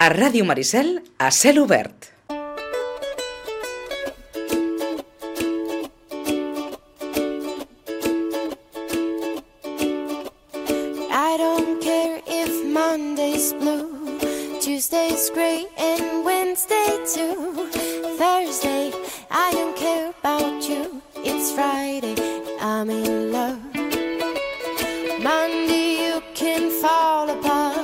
A Ràdio Maricel, a cel obert. I don't care if Monday's blue, Tuesday's gray and Wednesday too. Thursday, I don't care about you. It's Friday, I'm in love. Monday, you can fall apart.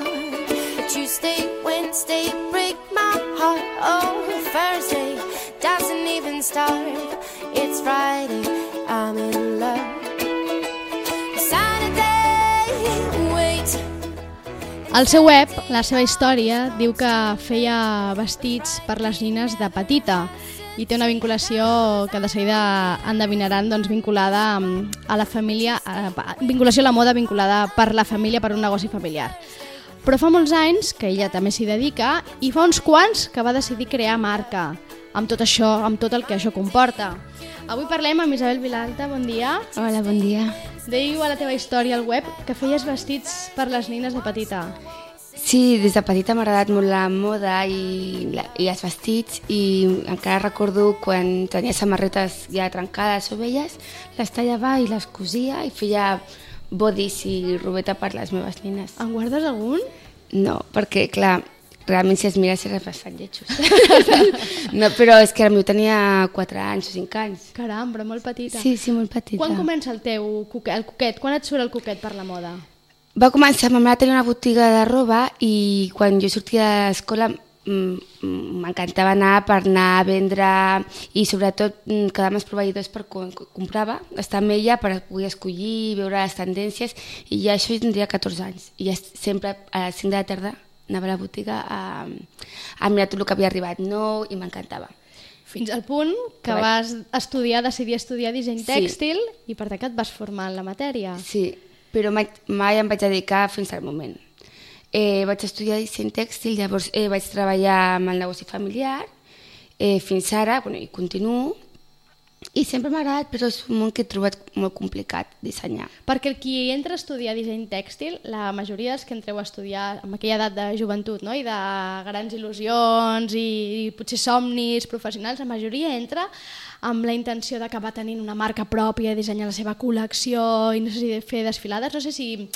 Tuesday, Wednesday, break my heart. Oh, Thursday doesn't even start. It's Friday, I'm in love. Saturday, wait. Al seu web, la seva història, diu que feia vestits per les nines de petita i té una vinculació que de seguida endevinaran, doncs, vinculada a la família, vinculació a la moda vinculada per la família, per un negoci familiar. Però fa molts anys que ella també s'hi dedica i fa uns quants que va decidir crear marca amb tot això, amb tot el que això comporta. Avui parlem amb Isabel Vilalta, bon dia. Hola, bon dia. Deiu a la teva història al web que feies vestits per les nines de petita. Sí, des de petita m'ha agradat molt la moda i els vestits i encara recordo quan tenia samarretes ja trencades o velles, les tallava i les cosia i feia bodis i robeta per les meves nines. En guardes algun? No, perquè, clar, realment si es mires eren bastant lletjos. No, però és que el meu tenia 4 anys o 5 anys. Caram, però molt petita. Sí, molt petita. Quan comença el teu coquet? Quan et surt el coquet per la moda? Va començar, ma mare tenia una botiga de roba i quan jo sortia de l'escola m'encantava anar per anar a vendre i sobretot quedar amb els proveïdors per quan comprava, estar amb ella per poder escollir, veure les tendències i ja això tindria 14 anys i ja sempre a les 5 de la tarda anava a la botiga a mirar tot el que havia arribat nou i m'encantava. Fins al punt que vas decidir estudiar disseny tèxtil i per tant que et vas formar en la matèria. Sí, però mai em vaig dedicar fins al moment. Vaig estudiar disseny tèxtil, llavors vaig treballar amb el negoci familiar fins ara, i continuo, i sempre m'ha agradat, però és un món que he trobat molt complicat dissenyar. Perquè el qui entra a estudiar disseny tèxtil, la majoria dels que entreu a estudiar amb aquella edat de joventut, no? I de grans il·lusions i potser somnis professionals, la majoria entra amb la intenció d'acabar tenint una marca pròpia, dissenyar la seva col·lecció i no sé si fer desfilades, no sé si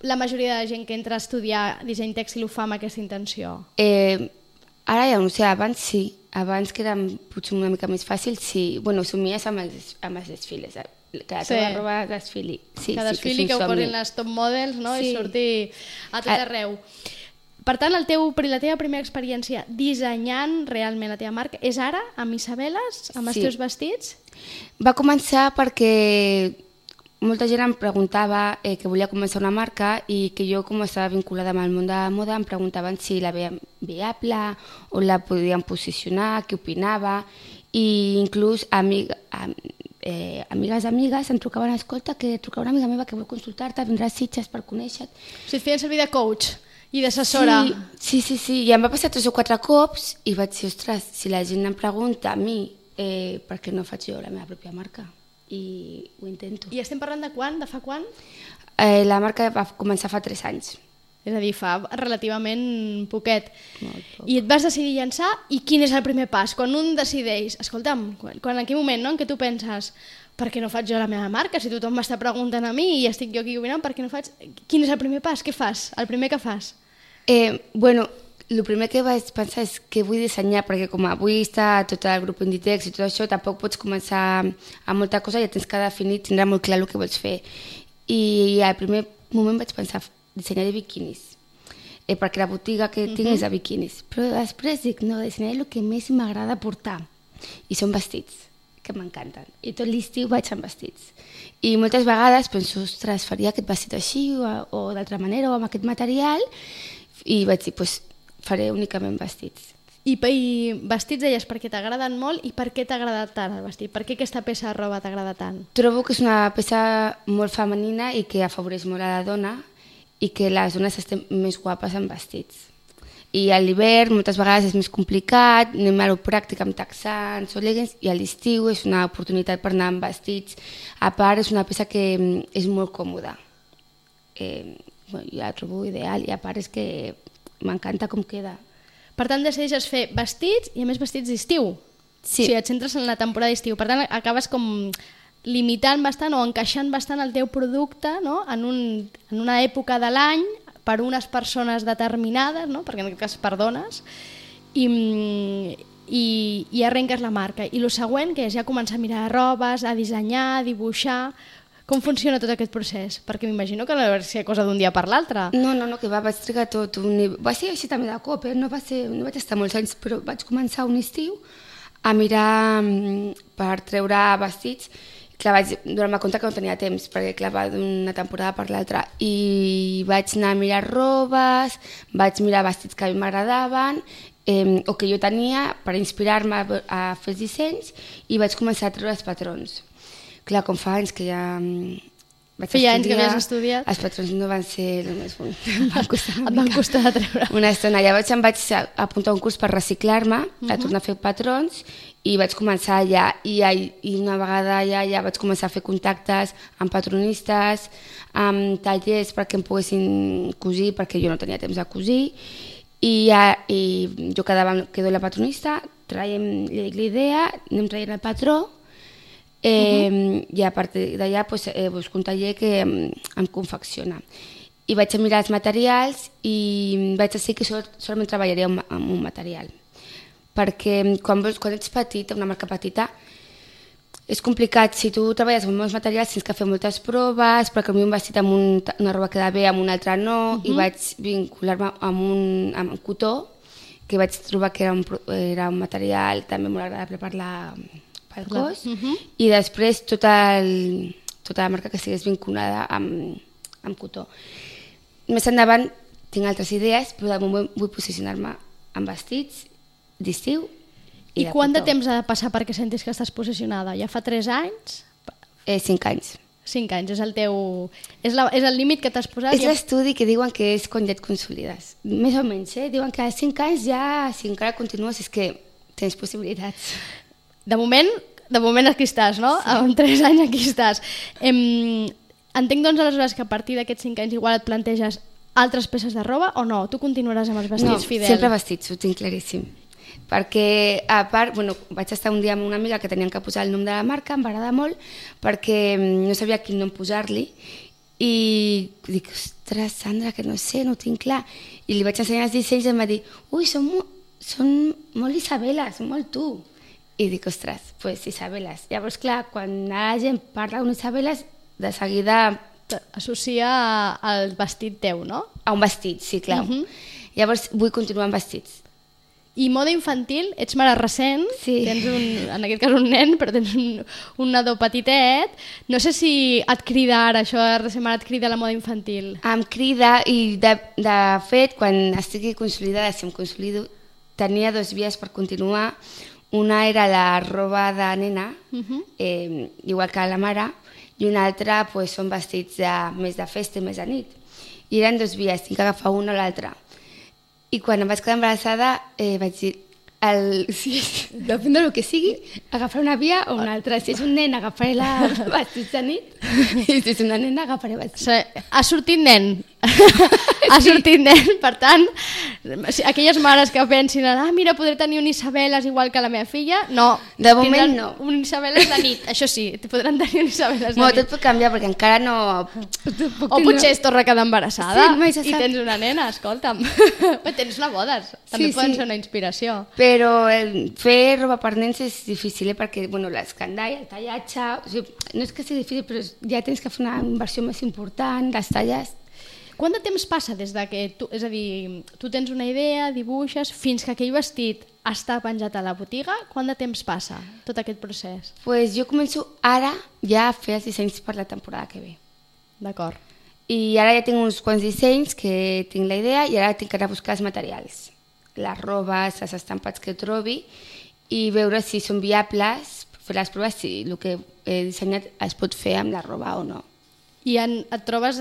la majoria de gent que entra a estudiar disseny tèxtil ho fa amb aquesta intenció. Ara ja no sé, abans sí, abans que era potser una mica més fàcil, sí. Bueno, somies amb els desfiles, que la teva roba desfili. Sí, que desfili, que ho posin les top models, no? I surti a tot arreu. Per tant, la teva primera experiència dissenyant realment la teva marca és ara, amb Isabeles, amb els teus vestits? Va començar perquè molta gent em preguntava que volia començar una marca i que jo, com estava vinculada amb el món de la moda, em preguntaven si la veien viable o la podien posicionar, què opinava, i inclús amigues em trucaven, escolta, que truca una amiga meva que vol consultar-te, vindrà a Sitges per conèixer-te. O sigui, et feien servir de coach i d'assessora. Sí, i em va passar 3 o 4 cops i vaig dir, ostres, si la gent em pregunta a mi, per què no faig jo la meva pròpia marca? I ho intento. I estem parlant de quan? De fa quan? La marca va començar fa 3 anys. És a dir, fa relativament poquet. Molt poc. I et vas decidir llançar, i quin és el primer pas? Quan un decideix, escolta'm, en quin moment, no?, en què tu penses, per què no faig jo la meva marca? Si tothom m'està preguntant a mi i estic jo aquí opinant, per què no faig? Quin és el primer pas? Què fas? El primer que fas? El primer que vaig pensar és que vull dissenyar, perquè com avui està tot el grup Inditex i tot això, tampoc pots començar amb molta cosa, ja tens que definir, tindrà molt clar el que vols fer. I al primer moment vaig pensar dissenyar de biquinis, perquè la botiga que tinc és de biquinis. Però després dic, no, dissenyar el que més m'agrada portar, i són vestits, que m'encanten. I tot l'estiu vaig amb vestits. I moltes vegades penso, ostres, faria aquest vestit així o d'altra manera o amb aquest material, i vaig dir, doncs, faré únicament vestits. I vestits deies perquè t'agraden molt, i per què t'ha agradat tant el vestit? Per què aquesta peça de roba t'agrada tant? Trobo que és una peça molt femenina i que afavoreix molt a la dona i que les dones estem més guapes amb vestits. I a l'hivern moltes vegades és més complicat, anem a lo pràctic amb texans o leggings, i a l'estiu és una oportunitat per anar amb vestits. A part és una peça que és molt còmoda. Jo la trobo ideal, i a part és que m'encanta com queda. Per tant, decideixes fer vestits i a més vestits d'estiu. Sí. O sigui, et centres en la temporada d'estiu. Per tant, acabes com limitant bastant o encaixant bastant el teu producte, no? en una època de l'any per unes persones determinades, no? Perquè en aquest cas per dones, i arrenques la marca. I el següent, que és ja començar a mirar robes, a dissenyar, a dibuixar. Com funciona tot aquest procés? Perquè m'imagino que no va ser cosa d'un dia per l'altre. No, que vaig trigar tot va ser així també de cop, no vaig estar molts anys, però vaig començar un estiu a mirar per treure vestits. Clar, vaig donar-me compte que no tenia temps, perquè clar, va d'una temporada per l'altra, i vaig anar a mirar robes, vaig mirar vestits que a mi m'agradaven, o que jo tenia per inspirar-me a fer els dissenys, i vaig començar a treure els patrons. Clar, com fa anys que ja vaig Feia anys que havies estudiat. Els patrons no van ser el més bon. Et van costar de treure. Una estona. Llavors em vaig apuntar a un curs per reciclar-me, a tornar a fer patrons, i vaig començar allà. I una vegada allà vaig començar a fer contactes amb patronistes, amb tallers perquè em poguessin cosir, perquè jo no tenia temps de cosir. I jo quedo la patronista, li dic l'idea, anem traient el patró, i a partir d'allà busco un taller que em confecciona. I vaig a mirar els materials i vaig decidir que solament treballaria amb un material. Perquè quan ets petita, una marca petita, és complicat. Si tu treballes amb molts materials tens que fer moltes proves, perquè a mi un vestit amb una roba queda bé, amb una altra no, i vaig vincular-me amb cotó, que vaig trobar que era un material també molt agradable pel cos, i després tota la marca que estigués vinculada amb cotó. Més endavant tinc altres idees, però de moment vull posicionar-me en vestits d'estiu i de quant de cotó. temps ha de passar perquè sentis que estàs posicionada? Ja fa 3 anys? 5 anys. 5 anys, és el límit que t'has posat? És l'estudi que diuen que és quan ja et consolides. Més o menys, diuen que a 5 anys ja, si encara continues, és que tens possibilitats. De moment aquí estàs, no? Sí. Amb 3 anys aquí estàs. Entenc, doncs, aleshores que a partir d'aquests 5 anys igual et planteges altres peces de roba o no? Tu continuaràs amb els vestits fidels? No, sempre vestits, ho tinc claríssim. Perquè, a part, vaig estar un dia amb una amiga que tenien que posar el nom de la marca, em va agradar molt, perquè no sabia quin nom posar-li, i dic, ostres, Sandra, que no sé, no ho tinc clar. I li vaig ensenyar els dissenys i em va dir, ui, són molt Isabela, són molt tu. I dic, ostres, doncs Isabeles. Llavors, clar, quan la gent parla d'un Isabeles, de seguida... Associa al vestit teu, no? A un vestit, sí, clar. Llavors, vull continuar amb vestits. I moda infantil, ets mare recent, sí. Tens en aquest cas un nen, però tens un nadó petitet. No sé si et crida ara això, de ser mare, et crida la moda infantil. Em crida i, de fet, quan estigui consolidada, si em consolido, tenia 2 vies per continuar. Una era la roba de nena, igual que la mare, i una altra són vestits més de festa i més de nit. I eren 2 vies, tinc que agafar una o l'altra. I quan em vaig quedar embarassada vaig dir, depèn del que sigui, agafar una via o una altra. Si és un nen, agafaré la vestits de nit, i si és una nena, agafaré vestits. Ha sortit nen. Ha sortit nen, per tant, aquelles mares que pensin, mira, podré tenir un Isabeles igual que la meva filla, no. De moment no. Un Isabeles de nit, això sí, podran tenir un Isabeles de nit. Tot pot canviar, perquè encara no... O potser es torna a quedar embarassada i tens una nena, escolta'm. Tens una bodes, també poden ser una inspiració. Però fer roba per nens és difícil, perquè l'escandall, el tallatge... No és que sigui difícil, però ja tens que fer una inversió més important, les talles... Quant de temps passa des de que és a dir, tu tens una idea, dibuixes, fins que aquell vestit està penjat a la botiga? Quant de temps passa tot aquest procés? Doncs jo començo ara ja a fer els dissenys per la temporada que ve. D'acord. I ara ja tinc uns quants dissenys que tinc la idea i ara tinc que anar a buscar els materials, les robes, els estampats que trobi i veure si són viables, fer les proves si el que he dissenyat es pot fer amb la roba o no. I et trobes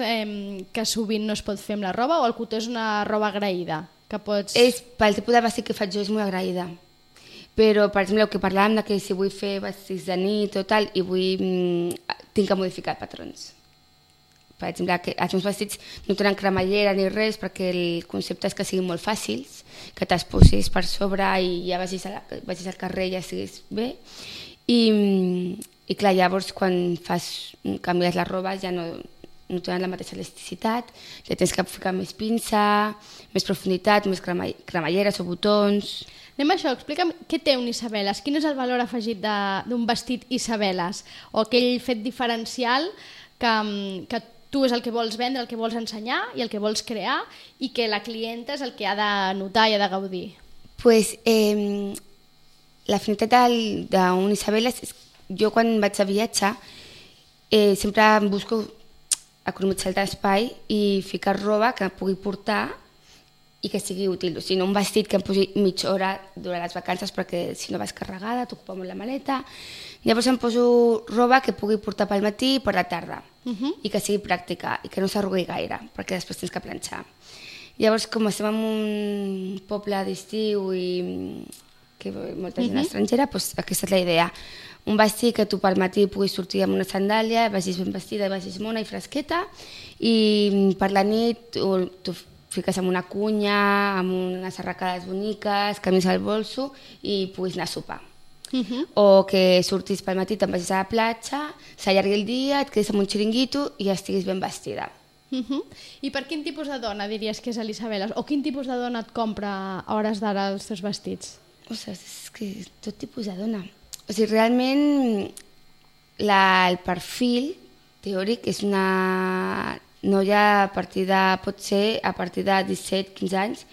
que sovint no es pot fer amb la roba o el cotó és una roba agraïda? Que pots... Pel tipus de vestit que faig jo és molt agraïda. Però, per exemple, el que parlàvem que si vull fer vestits de nit o tal, i tinc que modificar patrons. Per exemple, que els meus vestits no tenen cremallera ni res perquè el concepte és que siguin molt fàcils, que te'ls posis per sobre i ja vagis al carrer i ja estiguis bé. I clar, llavors quan canvies la roba ja no tenen la mateixa elasticitat, ja tens que ficar més pinça, més profunditat, més cremalleres o botons. Anem a això, explica'm què té un Isabeles, quin és el valor afegit d'un vestit Isabeles, o aquell fet diferencial que tu és el que vols vendre, el que vols ensenyar i el que vols crear i que la clienta és el que ha de notar i ha de gaudir. Pues, l'afinitat d'un Isabeles, jo quan vaig a viatjar sempre em busco economitzar l'espai i ficar roba que pugui portar i que sigui útil, o sigui, no un vestit que em posi mitja hora durant les vacances perquè si no vas carregada t'ocupa molt la maleta. Llavors em poso roba que pugui portar pel matí i per la tarda i que sigui pràctica i que no s'arrugui gaire perquè després tens que planxar. Llavors, com estem en un poble d'estiu i que molta gent estrangera, doncs aquesta és la idea. Un vestit que tu pel matí puguis sortir amb una sandàlia, vagis ben vestida, vagis mona i fresqueta, i per la nit tu fiques amb una cunya, amb unes arracades boniques, camins al bolso i puguis anar a sopar. O que sortis pel matí, te'n vagis a la platja, s'allargui el dia, et quedis amb un xiringuito i ja estiguis ben vestida. I per quin tipus de dona diries que és l'Isabeles? O quin tipus de dona et compra a hores d'ara els teus vestits? Ostres, és que tot tipus de dona. O sigui, realment el perfil teòric és una noia pot ser a partir de 17-15 anys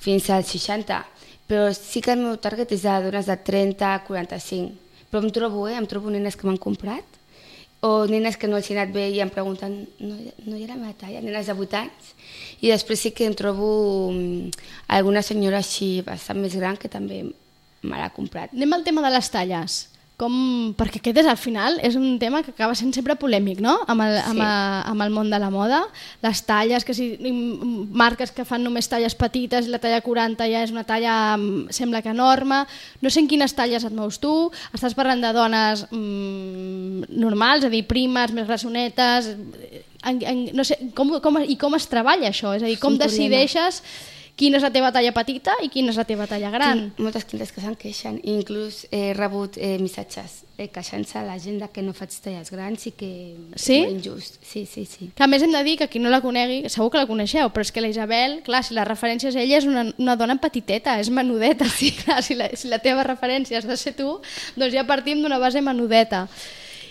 fins als 60, però sí que el meu target és de dones de 30-45. Però em trobo nenes que m'han comprat o nenes que no els he anat bé i em pregunten no hi ha la meva talla, nenes de 8 anys. I després sí que em trobo alguna senyora així bastant més gran que també me l'ha comprat. Anem al tema de les talles. Perquè aquest al final és un tema que acaba sent sempre polèmic, no? Amb el món de la moda. Les talles, que si marques que fan només talles petites i la talla 40 ja és una talla, sembla que enorme. No sé en quines talles et mous tu. Estàs parlant de dones normals, és a dir, primes, més grassonetes. No sé, com es treballa això? És a dir, com decideixes quina és la teva talla petita i quina és la teva talla gran? Tinc moltes clientes que se'n queixen i inclús he rebut missatges queixant-se a la gent que no faig talles grans i que és molt injust. Sí. Que a més hem de dir que qui no la conegui, segur que la coneixeu, però és que la Isabel, clar, si la referència és ella, és una dona petiteta, és menudeta. Sí, clar, si la teva referència has de ser tu, doncs ja partim d'una base menudeta.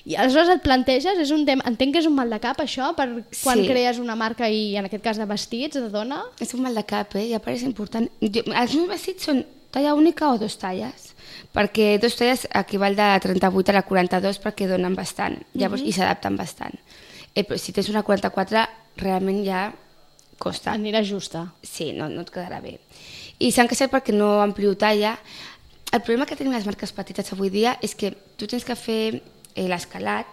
I aleshores et planteges, és un tema, entenc que és un mal de cap això, per quan crees una marca i en aquest cas de vestits, de dona? És un mal de cap, i a part és important. Els meus vestits són talla única o 2 talles, perquè 2 talles equival de 38 a la 42 perquè donen bastant, llavors i s'adapten bastant. Però si tens una 44 realment ja costa. Anirà justa. Sí, no et quedarà bé. I s'han queixat perquè no amplio talla. El problema que tenim les marques petites avui dia és que tu tens que fer l'escalat,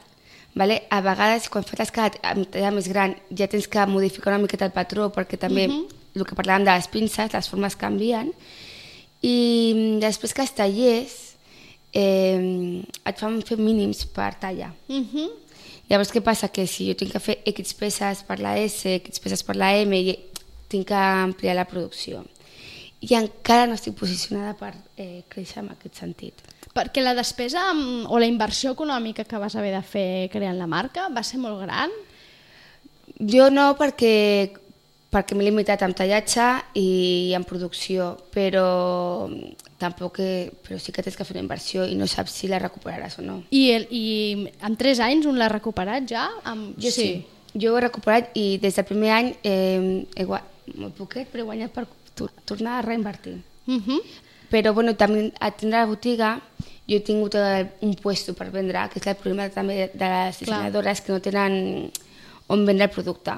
a vegades quan fas l'escalat amb talla més gran ja tens que modificar una miqueta el patró perquè també el que parlàvem de les pinces, les formes canvien i després que els tallers et fan fer mínims per talla. Llavors què passa? Que si jo tinc que fer X peces per la S, X peces per la M, tinc que ampliar la producció. I encara no estic posicionada per créixer en aquest sentit. Perquè la despesa o la inversió econòmica que vas haver de fer creant la marca va ser molt gran? Jo no, perquè m'he limitat en tallatge i en producció, però sí que tens que fer una inversió i no saps si la recuperaràs o no. I en 3 anys un l'ha recuperat ja? Jo sí. Jo ho he recuperat i des del primer any molt poquet, però he guanyat per tornar a reinvertir. Però també a tindre la botiga jo he tingut un puesto per vendre, que és el problema també de les dissenyadores que no tenen on vendre el producte.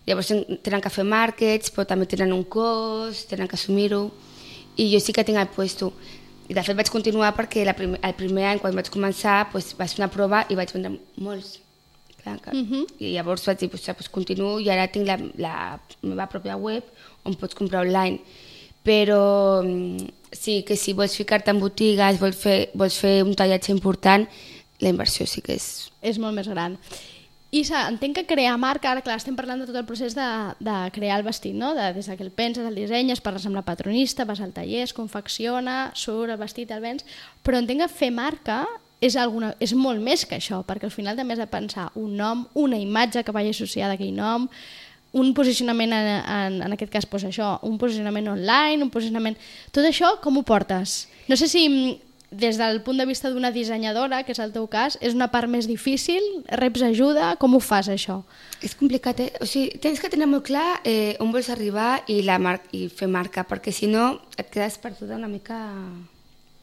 Llavors tenen que fer màrquets, però també tenen un cost, tenen que assumir-ho, i jo sí que tinc el puesto. I de fet vaig continuar perquè el primer any, quan vaig començar, vaig fer una prova i vaig vendre molts. I llavors vaig dir, continuo i ara tinc la meva pròpia web on pots comprar online. Però sí que si vols ficar-te en botigues, vols fer un tallatge important, la inversió sí que és... És molt més gran. I entenc que crear marca, ara clar, estem parlant de tot el procés de crear el vestit, no? Des que el penses, el dissenyes, parles amb la patronista, vas al taller, es confecciona, surt el vestit, el vens, però entenc que fer marca és molt més que això, perquè al final també has de pensar un nom, una imatge que vagi associada a aquell nom, un posicionament, en aquest cas, doncs això, un posicionament online, un posicionament... Tot això com ho portes? No sé si des del punt de vista d'una dissenyadora, que és el teu cas, és una part més difícil? Reps ajuda? Com ho fas, això? És complicat, O sigui, tens que tenir molt clar on vols arribar i fer marca, perquè si no et quedes perduda una mica...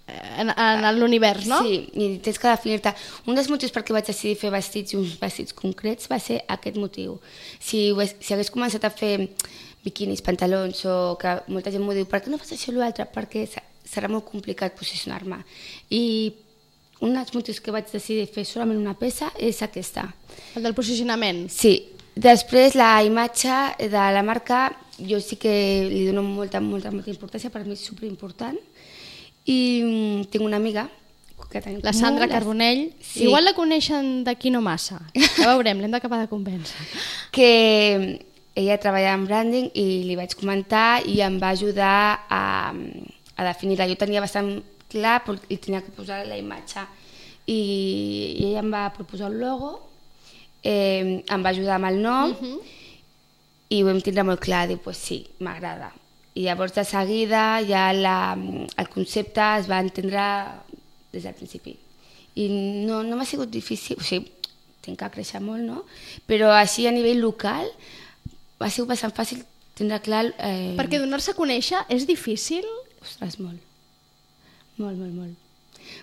En l'univers, no? Sí, i tens que definir-te. Un dels motius per què vaig decidir fer vestits i uns vestits concrets va ser aquest motiu. Si hagués començat a fer biquinis, pantalons, o que molta gent m'ho diu, per què no fas això o l'altre? Perquè serà molt complicat posicionar-me. I un dels motius que vaig decidir fer solament una peça és aquesta. El del posicionament? Sí. Després, la imatge de la marca, jo sí que li dono molta importància, per mi és superimportant. I tinc una amiga que tenim la Sandra Carbonell, sí. Igual la coneixen d'aquí no massa, ja veurem, l'hem d'acabar de convèncer. Que ella treballa en branding i li vaig comentar i em va ajudar a definir-la. Jo tenia bastant clar i tenia que posar la imatge i ella em va proposar el logo, em va ajudar amb el nom i ho vam tindre molt clar, dir, pues sí, m'agrada. I llavors de seguida ja el concepte es va entendre des del principi. I no m'ha sigut difícil, o sigui, tinc que créixer molt, no? Però així a nivell local ha sigut bastant fàcil tindre clar... Perquè donar-se a conèixer és difícil? Ostres, molt. Molt.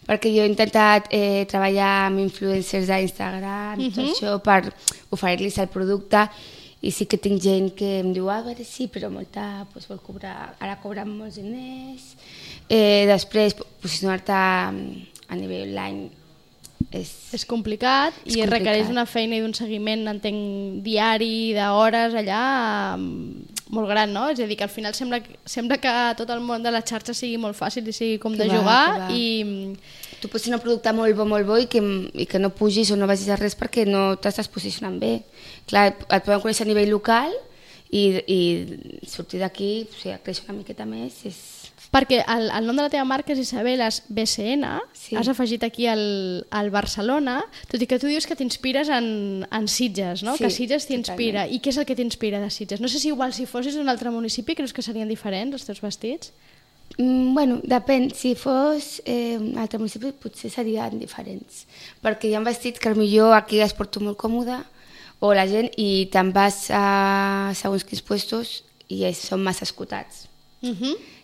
Perquè jo he intentat treballar amb influencers d'Instagram, tot això, per oferir-los el producte. I sí que tinc gent que em diu, a veure, sí, però molta vol cobrar, ara cobren molts diners. Després, posicionar-te a nivell online és complicat i requereix una feina i d'un seguiment, entenc, diari, d'hores, allà, molt gran, no? És a dir, que al final sembla que tot el món de la xarxa sigui molt fàcil i sigui com de jugar i... Tu pots tenir un producte molt bo i que no pugis o no vagis a res perquè no t'estàs posicionant bé. Clar, et podem conèixer a nivell local i sortir d'aquí, o sigui, créixer una miqueta més és... Perquè el nom de la teva marca és Isabeles BCN, sí. Has afegit aquí el Barcelona, tot i que tu dius que t'inspires en Sitges, no? Sí, que Sitges t'inspira. I què és el que t'inspira de Sitges? No sé si igual si fossis d'un altre municipi creus que serien diferents els teus vestits? Bueno, depèn. Si fos un altre municipi potser serien diferents, perquè hi ha vestits que potser aquí es porto molt còmode o la gent i te'n vas a segons quins puestos i són massa escotats.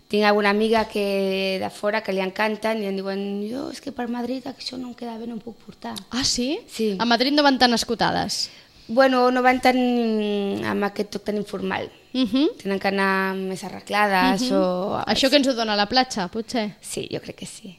Tinc alguna amiga que de fora que li encanten i em diuen jo és que per Madrid això no em queda bé, no em puc portar. Ah, sí? Sí. A Madrid no van tan escotades? Bueno, no van tan amb aquest toc tan informal. Tenen que anar més arreglades o... Això que ens ho dona la platja, potser? Sí, jo crec que sí.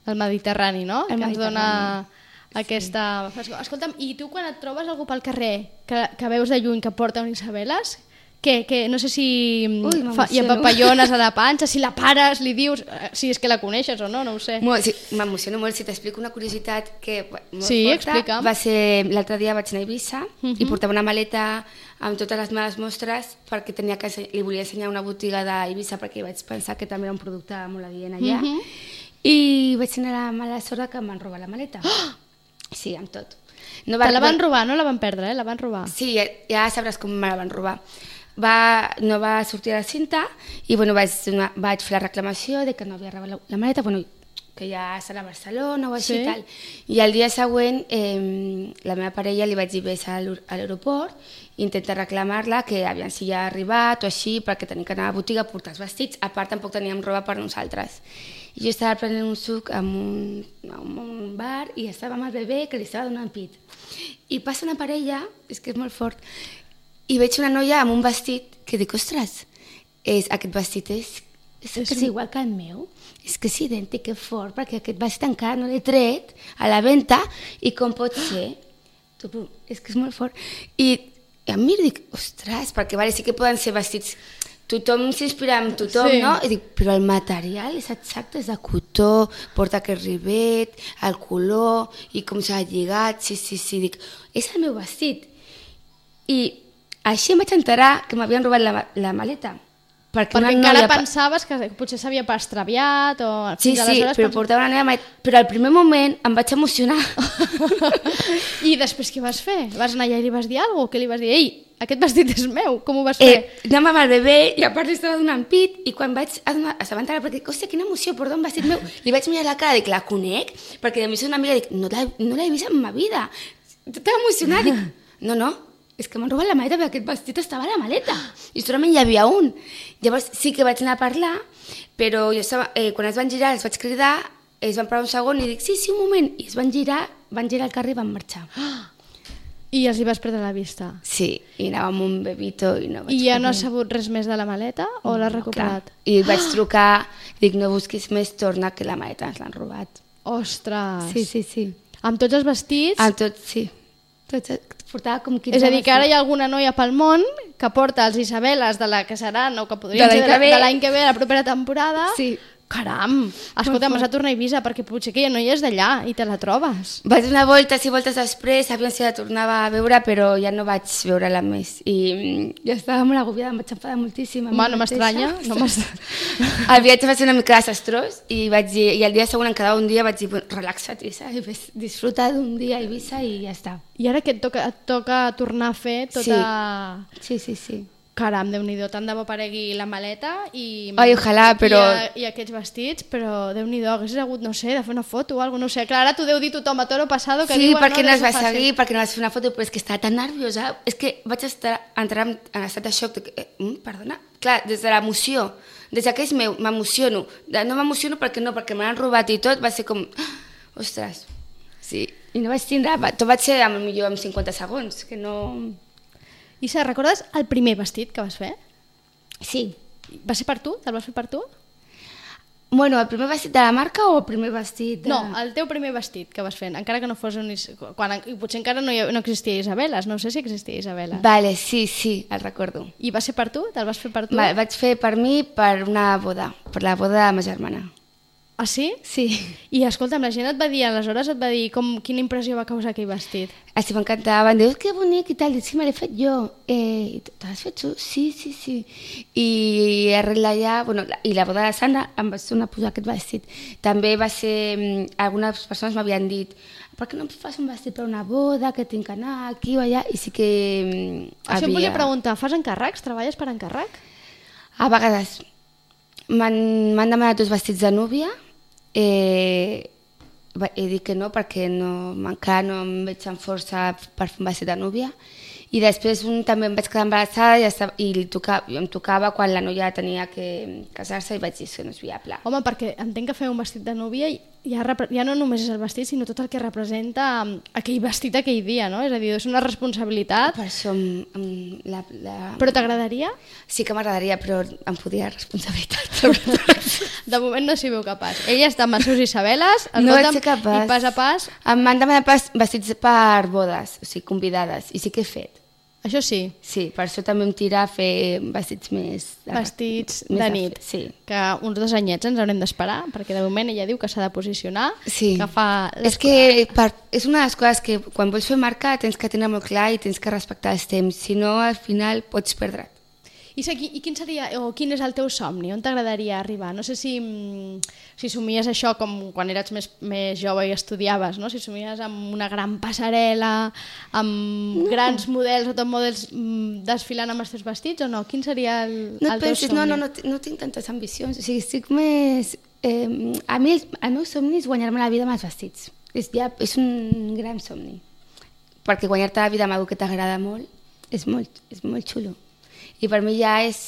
El Mediterrani, no? El Mediterrani. Ens dona aquesta... Escolta'm, i tu quan et trobes algú pel carrer que veus de lluny que porta un Isabeles, que no sé si hi ha papallones a la panxa, si la pares, li dius, si és que la coneixes o no, no ho sé. Sí, m'emociono molt. Si t'explico una curiositat que molt sí, forta, explica'm. Va ser l'altre dia vaig anar a Eivissa i portava una maleta amb totes les meves mostres perquè li volia ensenyar una botiga d'Eivissa perquè vaig pensar que també era un producte molt adient allà i vaig tenir la mala sort que em van robar la maleta. Sí, amb tot. Te la van robar, no la van perdre, la van robar? Sí, ja sabràs com me la van robar. No va sortir a la cinta i vaig fer la reclamació de que no havia robat la maleta, que ja serà a Barcelona o així, tal. I el dia següent la meva parella li vaig dir ves a l'aeroport i intentar reclamar-la que aviam si ja ha arribat o així, perquè tenim que anar a la botiga a portar els vestits, a part tampoc teníem roba per nosaltres. I jo estava prenent un suc en un bar i estava amb el bebè que li estava donant pit. I passa una parella, és que és molt fort, i veig una noia amb un vestit que dic, ostres, aquest vestit és igual que el meu, és que és idèntic, que fort, perquè aquest vestit encara no l'he tret a la venda i com pot ser? És que és molt fort. I em miro i dic, ostres, perquè sí que poden ser vestits tothom s'inspira en tothom, Sí. no? I dic, però el material és exacte, és de cotó, porta aquest rivet, el color, i com s'ha lligat, sí, dic, és el meu vestit. I així em vaig enterar que m'havien robat la maleta. Perquè una encara noia pensaves que potser s'havia extraviat o... Sí, fins sí, aleshores però portava una noia maleta. Però al primer moment em vaig emocionar. I després què vas fer? Vas anar allà i li vas dir alguna cosa? Què li vas dir? Ei, aquest vestit és meu, com ho vas fer? Anàvem amb el bebè i a part li estava donant pit i quan vaig assabentar perquè dic, hòstia, quina emoció, portar un vestit meu. Li vaig mirar la cara, dic, la conec? Perquè a mi és una amiga, dic, no l'he vist en ma vida. Estava emocionada, dic, no, és que m'han robat la maleta perquè aquest vestit estava a la maleta i solament hi havia un. Llavors sí que vaig anar a parlar, però jo estava, quan es van girar els vaig cridar, es van parar un segon i dic, sí, un moment, i es van girar el carrer i van marxar. I els hi vas perdre la vista. Sí, i anava amb un bebito i no vaig I ja no poder. has sabut res més de la maleta o l'has recuperat? Clar. I vaig trucar, dic, no busquis més, torna, que la maleta ens l'han robat. Ostres! Sí. Amb tots els vestits? Amb tot, sí. Portava com 15 És a dir, que ara hi ha alguna noia pel món que porta els Isabeles de la que seran o que podrien De l'any ser que ve. de l'any que ve, a la propera temporada. Sí. Caram! Escolta, m'has de tornar a Eivissa perquè potser aquella noia és d'allà i te la trobes. Vaig donar voltes i voltes després, aviam si la tornava a veure, però ja no vaig veure-la més. I ja estava molt agobiada, em vaig enfadar moltíssim. Home, no m'estranya. El viatge va ser una mica desastrós i vaig dir, i el dia següent, en quedava un dia, vaig dir, relaxa't, Isa, i disfruta d'un dia a Eivissa i ja està. I ara que et toca tornar a fer tota... Sí. Caram, Déu-n'hi-do, tant de bo aparegui la maleta i... Ai, ojalà, però... I aquests vestits, però Déu-n'hi-do, haguessis hagut, no sé, de fer una foto o alguna cosa, no sé. Clar, ara t'ho deu dir tothom a toro passado que Sí, diuen... perquè no es va deu ser fàcil. seguir, perquè no vas fer una foto, però és que estava tan nerviosa. És que vaig entrar en estat de xoc. Perdona? Clar, des de l'emoció, des que és meu, m'emociono. No m'emociono perquè me l'han robat i tot, va ser com... Ostres, sí. I no vaig tindre... Tot vaig ser, potser amb 50 segons, que no... Isa, recordes el primer vestit que vas fer? Sí. Va ser per tu? Te'l vas fer per tu? Bueno, el primer vestit de la marca o el primer vestit de... No, el teu primer vestit que vas fer, encara que no fos un... I potser encara no existia Isabeles, no sé si existia Isabeles. Vale, sí, el recordo. I va ser per tu? Te'l vas fer per tu? Vaig fer per mi per una boda, per la boda de ma germana. Ah, sí? Sí. I escolta'm, la gent et va dir, aleshores et va dir quina impressió va causar aquell vestit. Així m'encantava, em diu, que bonic i tal, dic, sí, me l'he fet jo. Te l'has fet tu? Sí. I arrel d'allà, bueno, i la boda de Sandra em vaig tornar a posar aquest vestit. També va ser, algunes persones m'havien dit, per què no em fas un vestit per una boda, que tinc que anar aquí o allà, i sí que Això em volia preguntar, fas encàrrecs? Treballes per encàrrec? A vegades m'han demanat dos vestits de núvia, he dit que no perquè encara no em veig amb força per fer un vestit de núvia, i després també em vaig quedar embarassada i em tocava quan la noia tenia que casar-se i vaig dir que no és viable. Home, perquè entenc que fer un vestit de núvia ja no només és el vestit, sinó tot el que representa aquell vestit aquell dia, no? És a dir, és una responsabilitat. Per això Però t'agradaria? Sí que m'agradaria, però em fotia responsabilitat. De moment no s'hi veu capaç. Ella està amb els seus Isabeles, No vaig ser capaç. i pas a pas... Em van demanar vestits per bodes, o sigui, convidades, i sí que he fet. Això sí, Sí, per això també em tira a fer vestits més... vestits més de nit. Sí. Que uns 2 anyets ens haurem d'esperar, perquè de moment ella diu que s'ha de posicionar, Sí. que fa... És que és una de les coses que quan vols fer marca tens que tenir molt clar i tens que respectar els temps, si no al final pots perdre't. I quin seria, o quin és el teu somni? On t'agradaria arribar? No sé si somies això com quan eres més jove i estudiaves, no? Si somies amb una gran passarel·la, amb grans models o top models desfilant amb els teus vestits o no? Quin seria el teu somni? No tinc tantes ambicions, o sigui, estic més... a mi el meu somni és guanyar-me la vida amb els vestits. És un gran somni. Perquè guanyar-te la vida amb algú que t'agrada molt és molt xulo. I per mi ja és...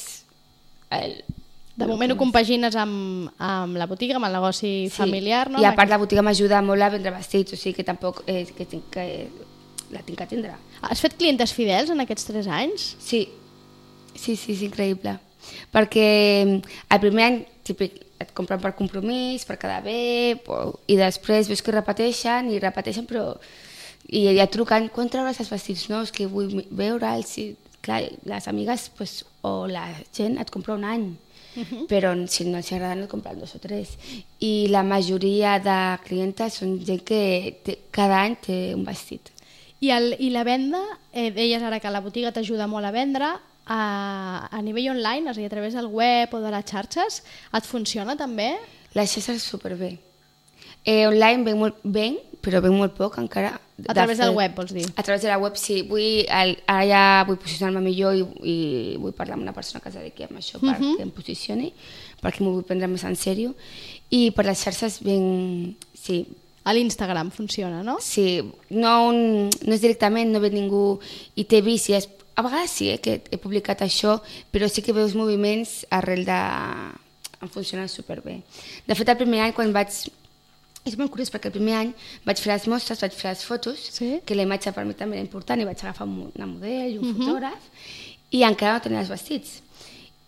De moment ho compagines amb la botiga, amb el negoci familiar, no? I a part la botiga m'ajuda molt a vendre vestits, o sigui que tampoc la tinc que atendre. Has fet clientes fidels en aquests 3 anys? Sí, és increïble. Perquè el primer any típic, et compren per compromís, per quedar bé, i després veus que repeteixen, però... I ja truquen, quan trauràs els vestits nous, que vull veure'ls, clar, les amigues o la gent et compra un any, però si no els agrada no et compren 2 o 3. I la majoria de clientes són gent que cada any té un vestit. I la venda, deies ara que la botiga t'ajuda molt a vendre, a nivell online, és a dir, a través del web o de les xarxes, et funciona també? La xarxa és superbé. Online venc, però venc molt poc encara. A través del web, vols dir? A través de la web, sí. Ara ja vull posicionar-me millor i vull parlar amb una persona que es dediqui a això perquè em posicioni, perquè m'ho vull prendre més en sèrio. I per les xarxes sí. A l'Instagram funciona, no? Sí, no és directament, no ve ningú i t'he vist, a vegades sí que he publicat això, però sí que veus moviments arrel de... em funciona superbé. De fet, el primer any quan vaig... És molt curiós perquè el primer any vaig fer les mostres, vaig fer les fotos, que la imatge per mi també era important, i vaig agafar una model i un fotògraf, i encara no tenia els vestits.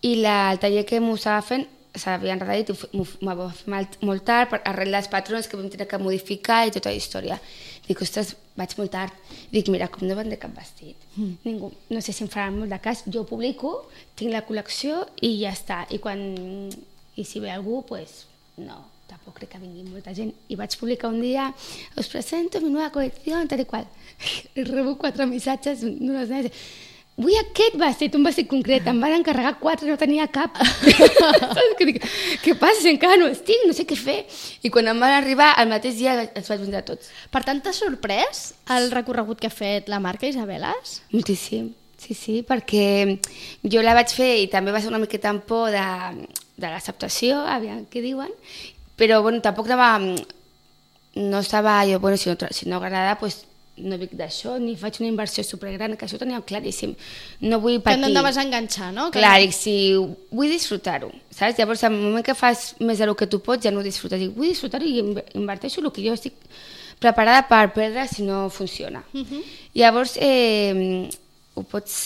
I el taller que m'ho estava fent s'havia enredat i m'ho va fer molt tard arrel dels patrons que vam tenir que modificar i tota la història. Dic, ostres, vaig molt tard. Dic, mira, com no vendré cap vestit. Ningú, no sé si em faran molt de cas, jo ho publico, tinc la col·lecció i ja està. I si ve algú, doncs no. Tampoc crec que vingui molta gent. I vaig publicar un dia, us presento mi nova col·lecció, tal i qual. I rebo 4 missatges d'unes nenes. Vull aquest vestit, un vestit concret. Em van encarregar 4, no tenia cap. Què passa si encara no estic? No sé què fer. I quan em van arribar, el mateix dia els vaig vendre tots. Per tant, t'ha sorprès el recorregut que ha fet la marca Isabeles? Moltíssim, sí, perquè jo la vaig fer i també va ser una miqueta amb por de l'acceptació, aviam què diuen, però bueno, tampoc no estava jo, bueno, si no agrada, doncs no vic d'això, ni faig una inversió supergran, que això ho tenia claríssim. No vull patir. Que no et vas enganxar, no? Clar, dic, si vull disfrutar-ho, saps? Llavors, al moment que fas més del que tu pots, ja no ho disfrutes. Dic, vull disfrutar-ho i inverteixo el que jo estic preparada per perdre si no funciona. Llavors, ho pots...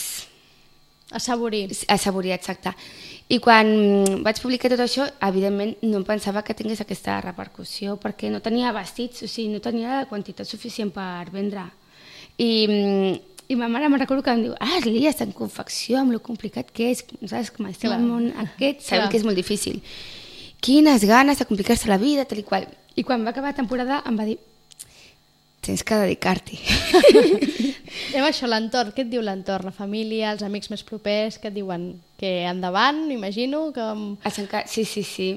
Assaborir. Assaborir, exacte. I quan vaig publicar tot això, evidentment no em pensava que tingués aquesta repercussió, perquè no tenia vestits, o sigui, no tenia la quantitat suficient per vendre. I ma mare me'n recordo que em diu, Lia, està en confecció, amb lo complicat que és, saps, com estem al món aquest, sabem que és molt difícil. Quines ganes de complicar-se la vida, tal i qual. I quan va acabar la temporada em va dir, tens que dedicar-t'hi. Això, l'entorn, què et diu l'entorn? La família, els amics més propers, què et diuen? Que endavant, imagino? Sí.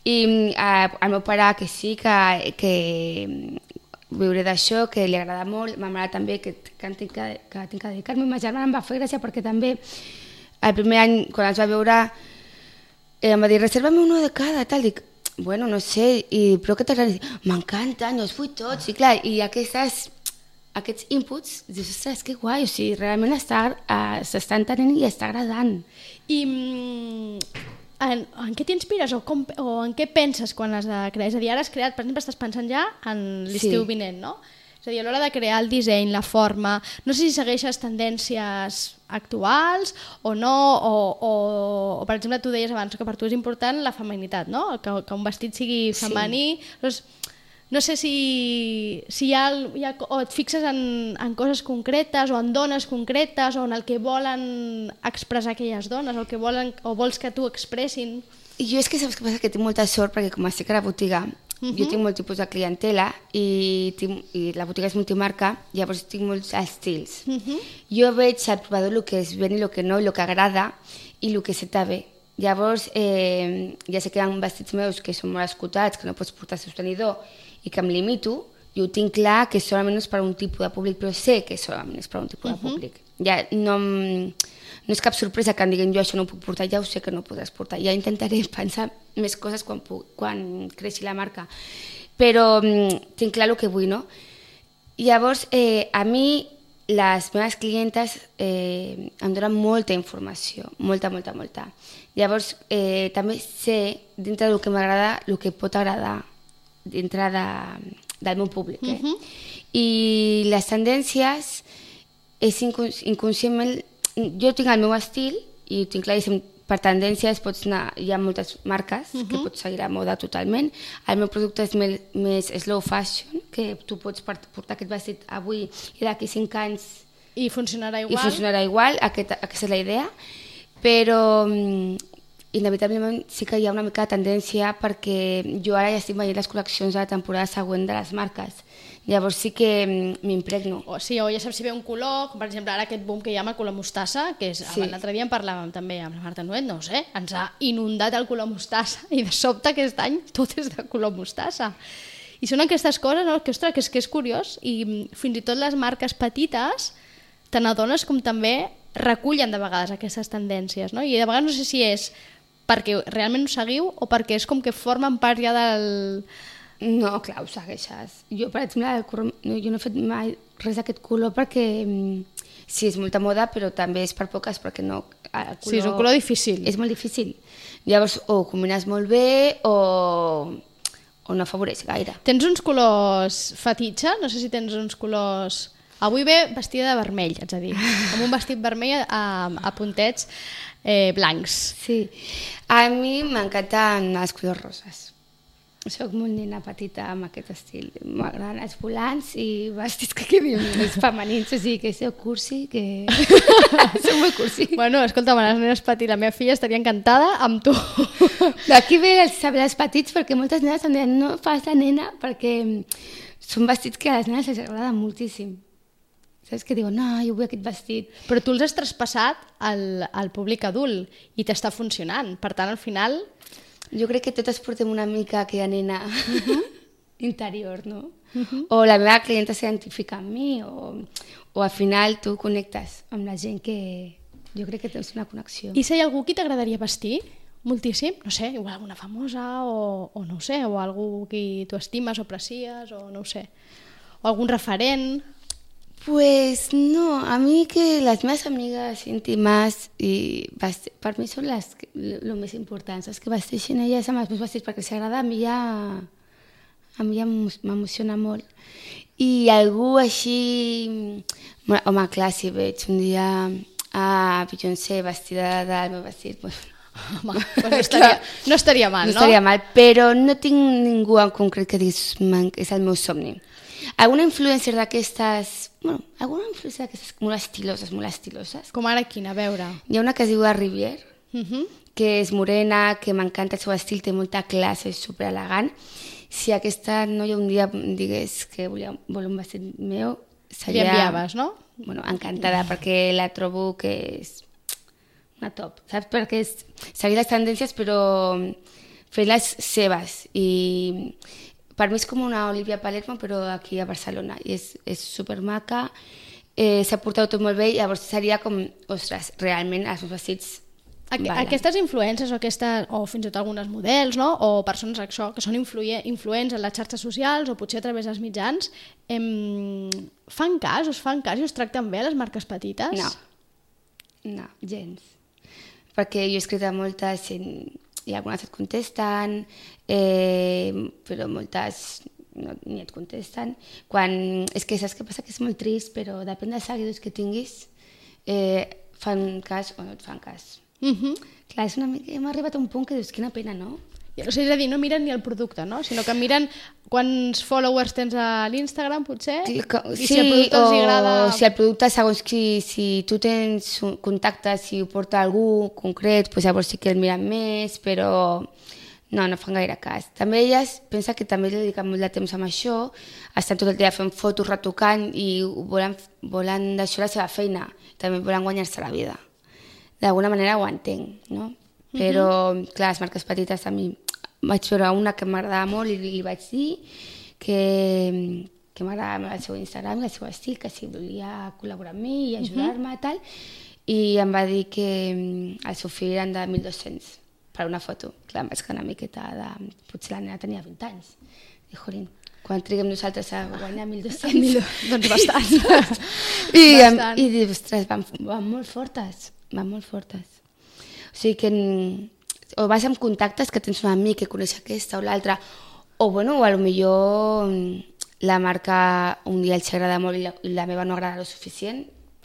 I el meu pare que sí, que viuré d'això, que li agrada molt, ma mare també, que tinc que dedicar-me. Ma germana em va fer gràcia perquè també el primer any, quan els va veure, em va dir, reserva-me uno de cada, tal, dic, bueno, no sé, però què t'agrada? M'encanta, no els vull tots, i clar, i aquests inputs, dius, ostres, que guai, o sigui, realment s'està entenent i està agradant. I en què t'inspires o en què penses quan has de crear? És a dir, ara has creat, per exemple, estàs pensant ja en l'estiu vinent, no? És a dir, a l'hora de crear el disseny, la forma, no sé si segueixes tendències actuals o no, o per exemple, tu deies abans que per tu és important la feminitat, no? Que un vestit sigui femení. Doncs, no sé si o et fixes en coses concretes o en dones concretes o en el que volen expressar aquelles dones o vols que t'ho expressin. Jo és que saps què passa? Que tinc molta sort perquè com estic a la botiga, jo tinc molt tipus de clientela i la botiga és multimarca, llavors tinc molts estils. Jo veig al provador el que es ven i el que no, el que agrada i el que se t'ha bé. Llavors, ja sé que hi ha vestits meus que són molt escotats, que no pots portar sostenidor i que em limito, i ho tinc clar que solament és per a un tipus de públic, però sé que solament és per a un tipus de públic. Ja no és cap sorpresa que em diguin jo això no ho puc portar, ja ho sé que no ho podràs portar. Ja intentaré pensar més coses quan creixi la marca. Però tinc clar el que vull, no? Llavors, a mi les meves clientes em donen molta informació, molta. Llavors, també sé, dintre del que m'agrada, el que pot agradar dintre del meu públic. I les tendències és inconscientment... Jo tinc el meu estil i ho tinc claríssim, per tendències pots anar, hi ha moltes marques que pots seguir a moda totalment. El meu producte és més slow fashion, que tu pots portar aquest vestit avui i d'aquí 5 anys I funcionarà igual? I funcionarà igual, aquesta és la idea, però inevitablement sí que hi ha una mica de tendència perquè jo ara ja estic veient les col·leccions de la temporada següent de les marques. Llavors sí que m'impregno. O ja saps si ve un color, com per exemple ara aquest boom que hi ha amb el color mostassa, que és, l'altre dia en parlàvem també amb la Marta Nuet, no ho sé, ens ha inundat el color mostassa i de sobte aquest any tot és de color mostassa. I són aquestes coses, no? Que, ostres, que és curiós, i fins i tot les marques petites te n'adones com també recullen de vegades aquestes tendències, no? I de vegades no sé si és perquè realment ho seguiu o perquè és com que formen part ja del... No, clar, ho segueixes. Jo, per exemple, jo no he fet mai res d'aquest color perquè sí, és molta moda, però també és per poques, perquè no... Sí, és un color difícil. És molt difícil. Llavors, o combines molt bé o no afavoreix gaire. Tens uns colors fetitxe? No sé si tens uns colors... Avui ve vestida de vermell, haig de dir, amb un vestit vermell a puntets blancs. Sí, a mi m'encanten els colors roses. Soc molt nena petita amb aquest estil. M'agraden els volants i vestits que quedin més femenins, o sigui que sou cursi, que... Sou molt cursi. Bueno, escolta, les nenes petites, la meva filla estaria encantada amb tu. D'aquí ve els petits, perquè moltes nenes em diuen no fas de nena, perquè són vestits que a les nenes els agraden moltíssim. Saps que diuen, no, jo vull aquest vestit. Però tu els has traspassat al públic adult i t'està funcionant. Per tant, al final... Jo crec que totes portem una mica aquella nena interior, no? O la meva clienta s'identifica amb mi, o al final tu connectes amb la gent que jo crec que tens una connexió. I si hi ha algú qui t'agradaria vestir moltíssim? No sé, igual alguna famosa o no ho sé, o algú que tu estimes o aprecies, o no ho sé. O algun referent... Pues no, a mi que les meves amigues íntimes per mi són el més important, saps? Que vesteixin elles amb els meus vestits, perquè si agrada a mi ja m'emociona molt. I algú així... Home, clar, si veig un dia a Beyoncé vestida del meu vestit... Home, pues no estaria mal, no? No estaria mal, però no tinc ningú en concret que diguis és el meu somni. Alguna influencer d'aquestes... Bueno, alguna influencer d'aquestes molt estiloses. Com ara quina, a veure? Hi ha una que es diu Rivière, que és morena, que m'encanta el seu estil, té molta classe, és superelegant. Si aquesta noia un dia digués que vol un vestit meu, seria... Li enviaves, no? Bueno, encantada, perquè la trobo que és una top, saps? Perquè és seguir les tendències, però fer-les seves. I per mi és com una Olivia Palermo, però aquí a Barcelona. I és supermaca, s'ha portat tot molt bé, i llavors seria com, ostres, realment els meus vestits... Aquestes influències o fins i tot algunes models, no? O persones que són influents en les xarxes socials o potser a través dels mitjans, us fan cas i us tracten bé les marques petites? No, gens. Perquè jo he escrit a moltes i algunes et contesten, però moltes ni et contesten. És que saps què passa? Que és molt trist, però depèn dels seguidors que tinguis, fan cas o no et fan cas. Clar, és una mica... Hem arribat a un punt que dius, quina pena, no? O sigui, és a dir, no miren ni el producte, no? Sinó que miren quants followers tens a l'Instagram, potser, i si el producte els agrada... O si el producte, segons si tu tens contactes, si ho porta algú concret, doncs llavors sí que el miren més, però no fan gaire cas. També elles pensa que també dediquen molt de temps amb això, estan tot el dia fent fotos, retocant, i volen deixar la seva feina, també volen guanyar-se la vida. D'alguna manera ho entenc, no? Però, clar, les marques petites a mi vaig veure una que m'agradava molt i li vaig dir que m'agradava el seu Instagram i el seu estil, que si volia col·laborar amb mi i ajudar-me i tal, i em va dir que el seu fill eren de 1.200 per una foto. Clar, em vaig quedar una miqueta de... Potser la nena tenia 20 anys. I, jolín, quan triguem nosaltres a guanyar 1.200... Doncs bastant. I dic, ostres, van molt fortes. O sigui que o vas amb contactes que tens un amic que coneix aquesta o l'altra, o bueno, o potser la marca un dia els agrada molt i la meva no agrada lo suficient,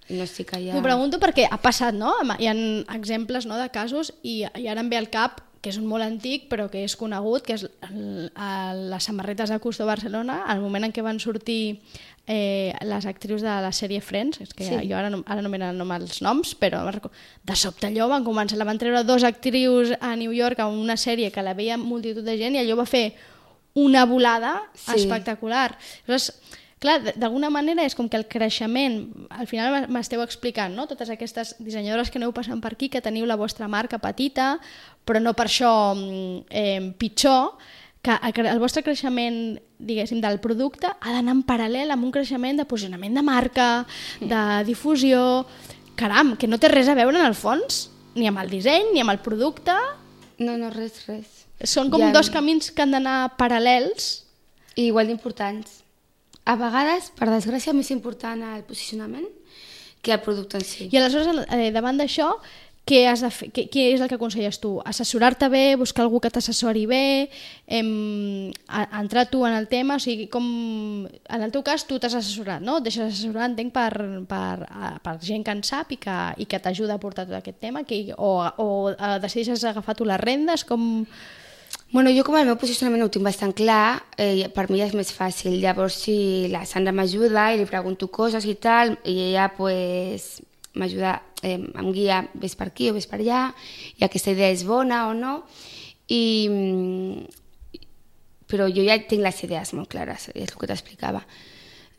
i no estic allà... T'ho pregunto perquè ha passat, no? Hi ha exemples, no, de casos, i ara em ve al cap que és un molt antic però que és conegut, que és les samarretes de Custo Barcelona, al moment en què van sortir les actrius de la sèrie Friends, és que jo ara no me n'anom els noms, però de sobte allò van treure 2 actrius a New York a una sèrie que la veia multitud de gent i allò va fer una volada espectacular. Llavors, clar, d'alguna manera és com que el creixement, al final m'esteu explicant, no? Totes aquestes dissenyadores que aneu passant per aquí, que teniu la vostra marca petita, però no per això pitjor, que el vostre creixement, diguéssim, del producte ha d'anar en paral·lel amb un creixement de posicionament de marca, de difusió... Caram, que no té res a veure en el fons, ni amb el disseny, ni amb el producte... No, res. Són com 2 camins que han d'anar paral·lels. I igual d'importants. A vegades, per desgràcia, més important el posicionament que el producte en si. I aleshores, davant d'això, què has de fer? Què és el que aconselles tu? Assessorar-te bé, buscar algú que t'assessori bé, entrar tu en el tema, o sigui, com... En el teu cas, tu t'has assessorat, no? Et deixes assessorar, entenc, per gent que en sap i que t'ajuda a portar tot aquest tema, o decideixes agafar tu les rendes, com... Bueno, jo com el meu posicionament ho tinc bastant clar, per mi és més fàcil. Llavors, si la Sandra m'ajuda i li pregunto coses i tal, i ella pues, m'ajuda, em guia, ves per aquí o ves per allà, i aquesta idea és bona o no, però jo ja tinc les idees molt clares, és el que t'explicava.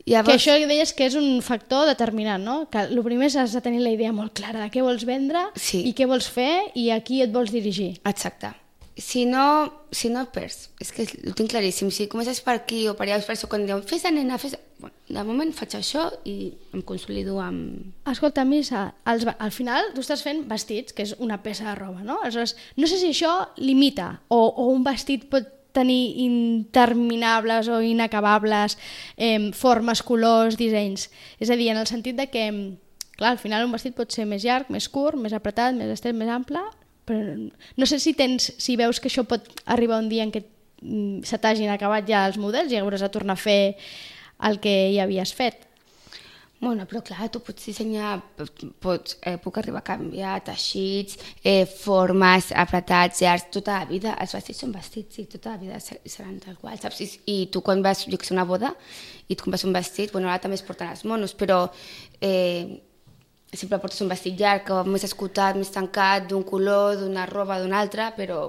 Llavors... Que això deies que és un factor determinant, no? Que el primer és has de tenir la idea molt clara de què vols vendre i què vols fer i a qui et vols dirigir. Exacte. Si no perds, és que ho tinc claríssim, si comences per aquí o per allà, per això quan diuen fes-te nena, bueno, de moment faig això i em consolido amb... Escolta, Missa, al final tu estàs fent vestits, que és una peça de roba, no? Aleshores, no sé si això limita o un vestit pot tenir interminables o inacabables formes, colors, dissenys. És a dir, en el sentit de que, clar, al final un vestit pot ser més llarg, més curt, més apretat, més estret, més ample... Però no sé si veus que això pot arribar un dia en què se t'hagin acabat ja els models i hauràs de tornar a fer el que ja havies fet. Bueno, però clar, tu pots dissenyar, puc arribar a canviar teixits, formes, apretats, llargs, tota la vida. Els vestits són vestits i tota la vida seran tal qual, saps? I tu quan vas, jo que sé, a una boda i et compres un vestit, bueno, ara també es porten els monos, però... sempre portes un vestit llarg, més escotat, més tancat, d'un color, d'una roba, d'un altre, però...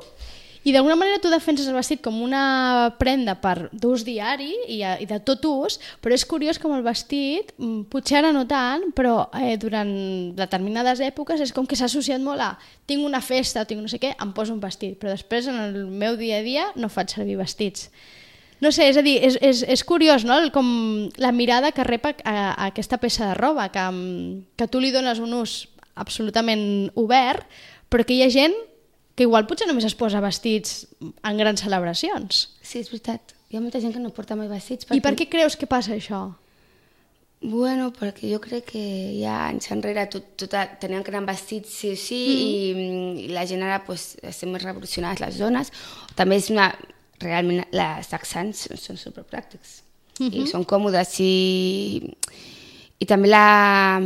I d'alguna manera tu defenses el vestit com una prenda per d'ús diari i de tot ús, però és curiós com el vestit, potser ara no tant, però durant determinades èpoques és com que s'ha associat molt a tinc una festa o tinc no sé què, em poso un vestit, però després en el meu dia a dia no faig servir vestits. No sé, és a dir, és curiós, no?, com la mirada que rep a aquesta peça de roba, que tu li dones un ús absolutament obert, però que hi ha gent que igual potser només es posa vestits en grans celebracions. Sí, és veritat. Hi ha molta gent que no porta mai vestits. I per què creus que passa això? Bueno, perquè jo crec que ja anys enrere tenien que anar vestits sí o sí i la gent ara pues, estem més revolucionades les dones. També és una... Realment les texans són superpràctics i són còmodes i també la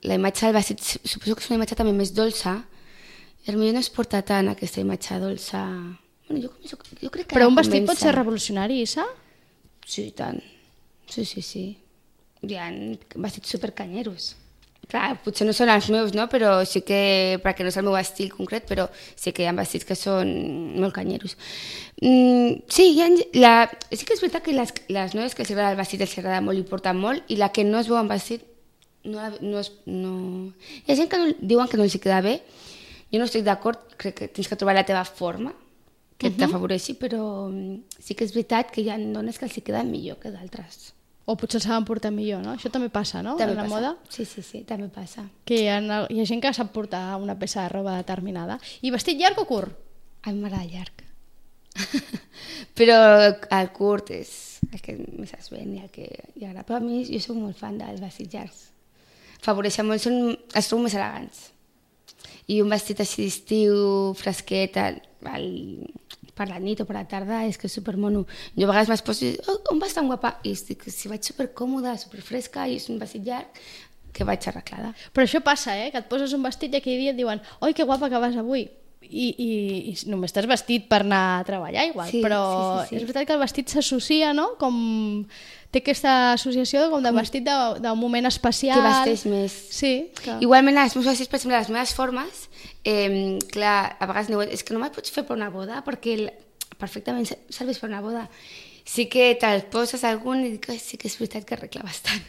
imatge del vestit suposo que és una imatge també més dolça i potser no es porta tant aquesta imatge dolça. Bueno, jo crec que però un vestit pot ser revolucionari, Issa? Sí, tant. Sí. Hi ha vestits supercanyeros. Clar, potser no són els meus, no? Però sí que, perquè no és el meu estil concret, però sí que hi ha vestits que són molt canyeros. Sí que és veritat que les noies que els agrada el vestit els agrada molt i porten molt, i la que no es veu en vestit no. Hi ha gent que diuen que no els queda bé. Jo no estic d'acord, crec que tens que trobar la teva forma que t'afavoreixi, però sí que és veritat que hi ha dones que els queden millor que d'altres. O potser saben portar millor, no? Això també passa, no? També en la moda. Sí, també passa. Que hi ha gent que sap portar una peça de roba determinada. I vestit llarg o curt? A mi m'agrada llarg. Però el curt és el que més es ven i el que hi agrada. Però a mi jo soc molt fan dels vestits llargs. Favoreixen molt, els trobo més elegants. I un vestit així d'estiu, fresquet, per la nit o per la tarda, és que és supermono. Jo a vegades m'esposo i dic, on vas tan guapa? I dic, si vaig supercòmoda, superfresca i és un vestit llarg, que vaig arreglada. Però això passa, que et poses un vestit i aquell dia et diuen oi, que guapa que vas avui. i només t'has vestit per anar a treballar igual, Sí, però sí. és veritat que el vestit s'associa, no? Com té aquesta associació com de vestit d'un moment especial. Que vesteix més. Sí. Que... Igualment, els meus vestits, per exemple, les meves formes, clar, a vegades diuen, és que no me'l pots fer per una boda, perquè perfectament serveix per una boda. Sí que te'l poses algun i dic, sí que és veritat que arregla bastant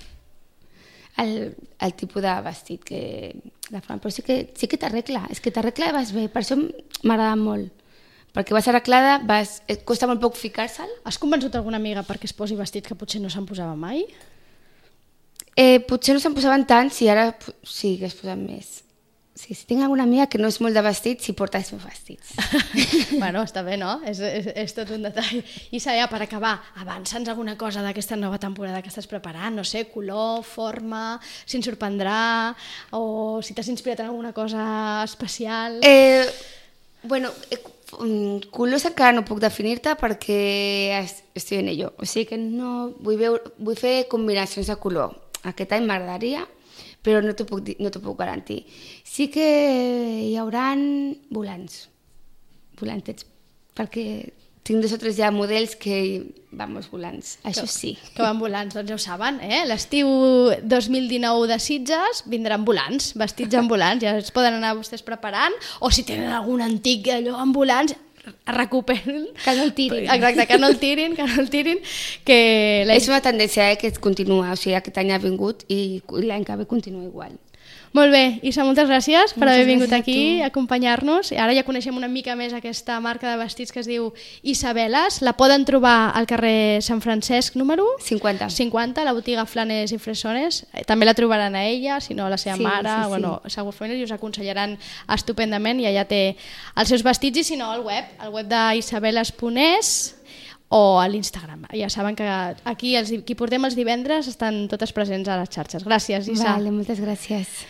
el tipus de vestit que la forma, però sí que t'arregla, és que t'arregla i vas bé, per això m'agrada molt, perquè vas arreglada, et costa molt poc ficar-se'l. Has convençut alguna amiga perquè es posi vestit que potser no se'n posava mai? Potser no se'n posaven tant, si ara sí que es posen més. Sí, si tinc alguna amiga que no és molt de vestits, si porta els meus vestits. Bueno, està bé, no? És tot un detall. I Saia, per acabar, avança'ns alguna cosa d'aquesta nova temporada que estàs preparant, no sé, color, forma, si ens sorprendrà, o si t'has inspirat en alguna cosa especial. Bueno, colors encara no puc definir-te perquè estic en ello. O sigui que no vull fer combinacions de color. Aquest any m'agradaria, però no t'ho puc garantir. Sí que hi haurà volantets, perquè tinc 2 o 3 ja models que vamos volants, això sí. Que van volants, doncs ja ho saben, eh? L'estiu 2019 de Sitges vindran volants, vestits en volants, ja es poden anar vostès preparant, o si tenen algun antic allò en volants, recuperen. Que no el tirin. Exacte, que no el tirin, que És una tendència que continua, o sigui, aquest any ha vingut i l'any que ve continua igual. Molt bé, Isa, moltes gràcies per haver vingut gràcies a aquí tu. a acompanyar-nos. Ara ja coneixem una mica més aquesta marca de vestits que es diu Isabeles. La poden trobar al carrer Sant Francesc número 50. 50, a la botiga Flanes i Fresones. També la trobaran a ella, si no a la seva Sí, mare, sí, sí. bueno, segurament us aconsellaran estupendament i allà té els seus vestits, i si no al web d'isabeles.es o a l'Instagram. Ja saben que aquí qui portem els divendres estan totes presents a les xarxes. Gràcies, Isa. Vale, moltes gràcies.